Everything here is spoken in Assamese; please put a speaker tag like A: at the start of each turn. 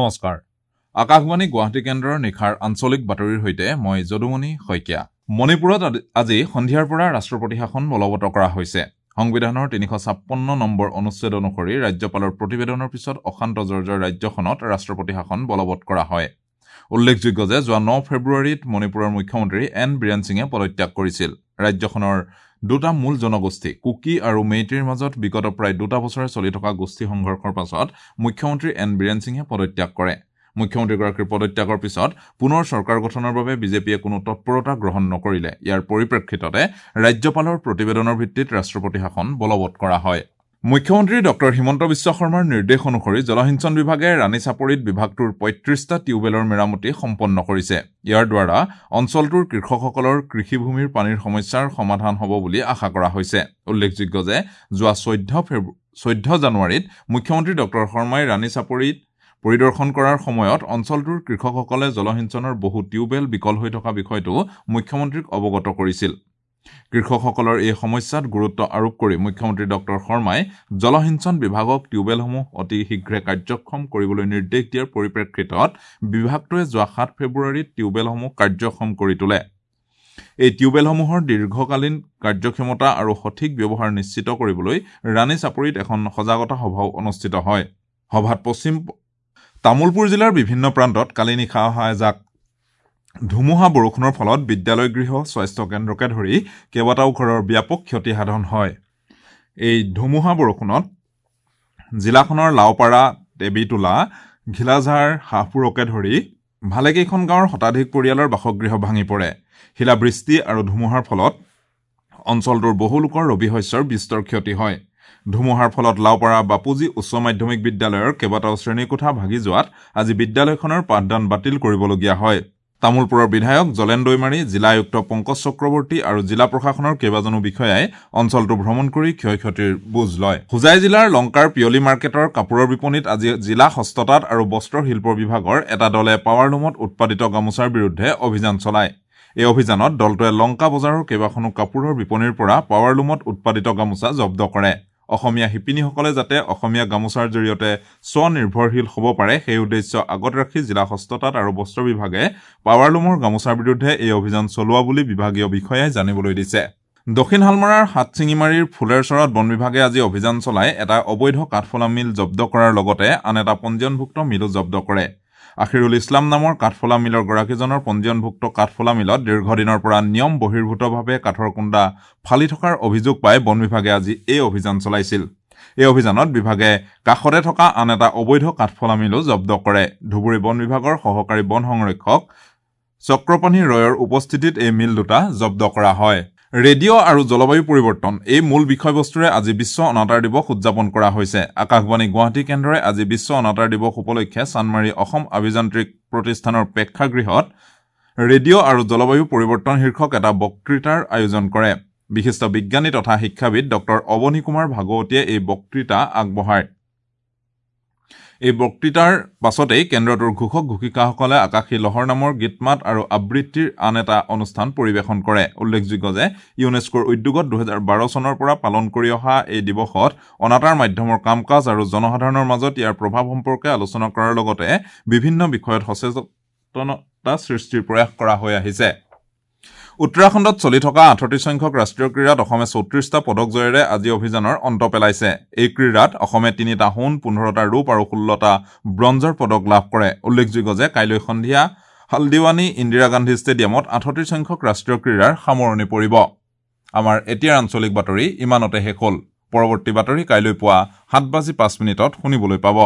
A: নমস্কাৰ। আকাশবাণী গুৱাহাটী কেন্দ্ৰৰ নিশাৰ আঞ্চলিক বাতৰিৰ সৈতে মই যদুমণি শইকীয়া। মণিপুৰত আজি সন্ধিয়াৰ পৰা ৰাষ্ট্ৰপতি শাসন বলবৎ কৰা হৈছে। সংবিধানৰ 356 নম্বৰ অনুচ্ছেদ অনুসৰি ৰাজ্যপালৰ প্ৰতিবেদনৰ পিছত অশান্ত জৰ্জৰ ৰাজ্যখনত ৰাষ্ট্ৰপতি শাসন বলবৎ কৰা হয়। উল্লেখযোগ্য যে যোৱা 9 ফেব্ৰুৱাৰীত মণিপুৰৰ মুখ্যমন্ত্ৰী এন বীৰেন সিঙে পদত্যাগ কৰিছিল। ৰাজ্যখনৰ দুটা মূল জনগোষ্ঠী কুকি আৰু মেইটিৰ মাজত বিগত প্ৰায় 2 বছৰে চলি থকা গোষ্ঠী সংঘৰ্ষৰ পাছত মুখ্যমন্ত্ৰী এন বীৰেন সিঙে পদত্যাগ কৰে। মুখ্যমন্ত্ৰীগৰাকীৰ পদত্যাগৰ পিছত পুনৰ চৰকাৰ গঠনৰ বাবে বিজেপিয়ে কোনো তৎপৰতা গ্ৰহণ নকৰিলে। ইয়াৰ পৰিপ্ৰেক্ষিততে ৰাজ্যপালৰ প্ৰতিবেদনৰ ভিত্তিত ৰাষ্ট্ৰপতি শাসন বলবৎ কৰা হয়। মুখ্যমন্ত্ৰী ডক্টৰ হিমন্ত বিশ্ব শৰ্মাৰ নিৰ্দেশ অনুসৰি জলসিঞ্চন বিভাগে ৰাণী চাপৰিত বিভাগটোৰ 35টা টিউবৱেলৰ মেৰামতি সম্পন্ন কৰিছে। ইয়াৰ দ্বাৰা অঞ্চলটোৰ কৃষকসকলৰ কৃষিভূমিৰ পানীৰ সমস্যাৰ সমাধান হ'ব বুলি আশা কৰা হৈছে। উল্লেখযোগ্য যে যোৱা 14 জানুৱাৰীত মুখ্যমন্ত্ৰী ডক্টৰ শৰ্মাই ৰাণী চাপৰিত পৰিদৰ্শন কৰাৰ সময়ত অঞ্চলটোৰ কৃষকসকলে জলসিঞ্চনৰ বহু টিউবৱেল বিকল হৈ থকা বিষয়টো মুখ্যমন্ত্ৰীক অৱগত কৰিছিল। কৃষকসকলৰ এই সমস্যাত গুৰুত্ব আৰোপ কৰি মুখ্যমন্ত্ৰী ডক্টৰ শৰ্মাই জলসিঞ্চন বিভাগক টিউবৱেলসমূহ অতি শীঘ্ৰে কাৰ্যক্ষম কৰিবলৈ নিৰ্দেশ দিয়াৰ পৰিপ্ৰেক্ষিতত বিভাগটোৱে যোৱা 7 ফেব্ৰুৱাৰীত টিউবৱেলসমূহ কাৰ্যক্ষম কৰি তোলে। এই টিউবৱেলসমূহৰ দীৰ্ঘকালীন কাৰ্যক্ষমতা আৰু সঠিক ব্যৱহাৰ নিশ্চিত কৰিবলৈ ৰাণী চাপৰিত এখন সজাগতা সভাও অনুষ্ঠিত হয়। সভাত পশ্চিম তামুলপুৰ জিলাৰ বিভিন্ন প্ৰান্তত কালি নিশা অহা এজাক ধুমুহা বৰষুণৰ ফলত বিদ্যালয় গৃহ, স্বাস্থ্য কেন্দ্ৰকে ধৰি কেইবাটাও ঘৰৰ ব্যাপক ক্ষতি সাধন হয়। এই ধুমুহা বৰষুণত জিলাখনৰ লাওপাৰা, দেৱীতোলা, ঘিলাঝাৰ, হাঁহপুৰকে ধৰি ভালেকেইখন গাঁৱৰ শতাধিক পৰিয়ালৰ বাসগৃহ ভাঙি পৰে। শিলাবৃষ্টি আৰু ধুমুহাৰ ফলত অঞ্চলটোৰ বহু লোকৰ ৰবি শস্যৰ বিস্তৰ ক্ষতি হয়। ধুমুহাৰ ফলত লাওপাৰা বাপুজী উচ্চ মাধ্যমিক বিদ্যালয়ৰ কেইবাটাও শ্ৰেণীকোঠা ভাগি যোৱাত আজি বিদ্যালয়খনৰ পাঠদান বাতিল কৰিবলগীয়া হয়। তামুলপুৰৰ বিধায়ক জলেন দৈমাৰী, জিলা আয়ুক্ত পংকজ চক্ৰৱৰ্তী আৰু জিলা প্ৰশাসনৰ কেইবাজনো বিষয়াই অঞ্চলটো ভ্ৰমণ কৰি ক্ষয় ক্ষতিৰ বুজ লয়। হোজাই জিলাৰ লংকাৰ পিয়লি মাৰ্কেটৰ কাপোৰৰ বিপণীত আজি জিলা হস্ততাঁত আৰু বস্ত্ৰ শিল্প বিভাগৰ এটা দলে পাৱাৰলুমত উৎপাদিত গামোচাৰ বিৰুদ্ধে অভিযান চলায়। এই অভিযানত দলটোৱে লংকা বজাৰৰ কেইবাখনো কাপোৰৰ বিপণীৰ পৰা পাৱাৰলুমত উৎপাদিত গামোচা জব্দ কৰে। অসমীয়া শিপিনীসকলে যাতে অসমীয়া গামোচাৰ জৰিয়তে স্বনিৰ্ভৰশীল হ'ব পাৰে সেই উদ্দেশ্য আগত ৰাখি জিলা হস্ততাঁত আৰু বস্ত্ৰ বিভাগে পাৱাৰলুমৰ গামোচাৰ বিৰুদ্ধে এই অভিযান চলোৱা বুলি বিভাগীয় বিষয়াই জানিবলৈ দিছে। দক্ষিণ হালমৰাৰ হাতচিঙিমাৰীৰ ফুলেৰচৰত বন বিভাগে আজি অভিযান চলাই এটা অবৈধ কাঠফলা মিল জব্দ কৰাৰ লগতে আন এটা পঞ্জীয়নভুক্ত মিলো জব্দ কৰে। আখিৰুল ইছলাম নামৰ কাঠফলা মিলৰ গৰাকীজনৰ পঞ্জীয়নভুক্ত কাঠফলা মিলত দীৰ্ঘদিনৰ পৰা নিয়ম বহিৰ্ভূতভাৱে কাঠৰ কুন্দা ফালি থকাৰ অভিযোগ পাই বন বিভাগে আজি এই অভিযান চলাইছিল। এই অভিযানত বিভাগে কাষতে থকা আন এটা অবৈধ কাঠফলা মিলো জব্দ কৰে। ধুবুৰী বন বিভাগৰ সহকাৰী বন সংৰক্ষক চক্ৰপাণি ৰয়ৰ উপস্থিতিত এই মিল দুটা জব্দ কৰা হয়। ৰেডিঅ' আৰু জলবায়ু পৰিৱৰ্তন এই মূল বিষয়বস্তুৰে আজি বিশ্ব অনাতাঁৰ দিৱস উদযাপন কৰা হৈছে। আকাশবাণী গুৱাহাটী কেন্দ্ৰই আজি বিশ্ব অনাতাঁৰ দিৱস উপলক্ষে চানমাৰী অসম আভিযান্ত্ৰিক প্ৰতিষ্ঠানৰ প্ৰেক্ষাগৃহত ৰেডিঅ' আৰু জলবায়ু পৰিৱৰ্তন শীৰ্ষক এটা বক্তৃতাৰ আয়োজন কৰে। বিশিষ্ট বিজ্ঞানী তথা শিক্ষাবিদ ডক্টৰ অৱনী কুমাৰ ভাগৱতীয়ে এই বক্তৃতা আগবঢ়ায়। এই বক্তৃতাৰ পাছতেই কেন্দ্ৰটোৰ ঘোষক ঘোষিকাসকলে আকাশী লহৰ নামৰ গীতমাত আৰু আবৃত্তিৰ আন এটা অনুষ্ঠান পৰিৱেশন কৰে। উল্লেখযোগ্য যে ইউনেস্কোৰ উদ্যোগত 2012 চনৰ পৰা পালন কৰি অহা এই দিৱসত অনাতাঁৰ মাধ্যমৰ কাম কাজ আৰু জনসাধাৰণৰ মাজত ইয়াৰ প্ৰভাৱ সম্পৰ্কে আলোচনা কৰাৰ লগতে বিভিন্ন বিষয়ত সচেতনতা সৃষ্টিৰ প্ৰয়াস কৰা হৈ আহিছে। উত্তৰাখণ্ডত চলি থকা 38 সংখ্যক ৰাষ্ট্ৰীয় ক্ৰীড়াত অসমে 34টা পদক জয়েৰে আজি অভিযানৰ অন্ত পেলাইছে। এই ক্ৰীড়াত অসমে 3টা সোণ, 15টা ৰূপ আৰু 16টা ব্ৰঞ্জৰ পদক লাভ কৰে। উল্লেখযোগ্য যে কাইলৈ সন্ধিয়া হালদিৱানী ইন্দিৰা গান্ধী ষ্টেডিয়ামত 38 সংখ্যক ৰাষ্ট্ৰীয় ক্ৰীড়াৰ সামৰণি পৰিব। আমাৰ এতিয়াৰ আঞ্চলিক বাতৰি ইমানতে শেষ হ'ল। পৰৱৰ্তী বাতৰি কাইলৈ পুৱা 7:05 শুনিবলৈ পাব।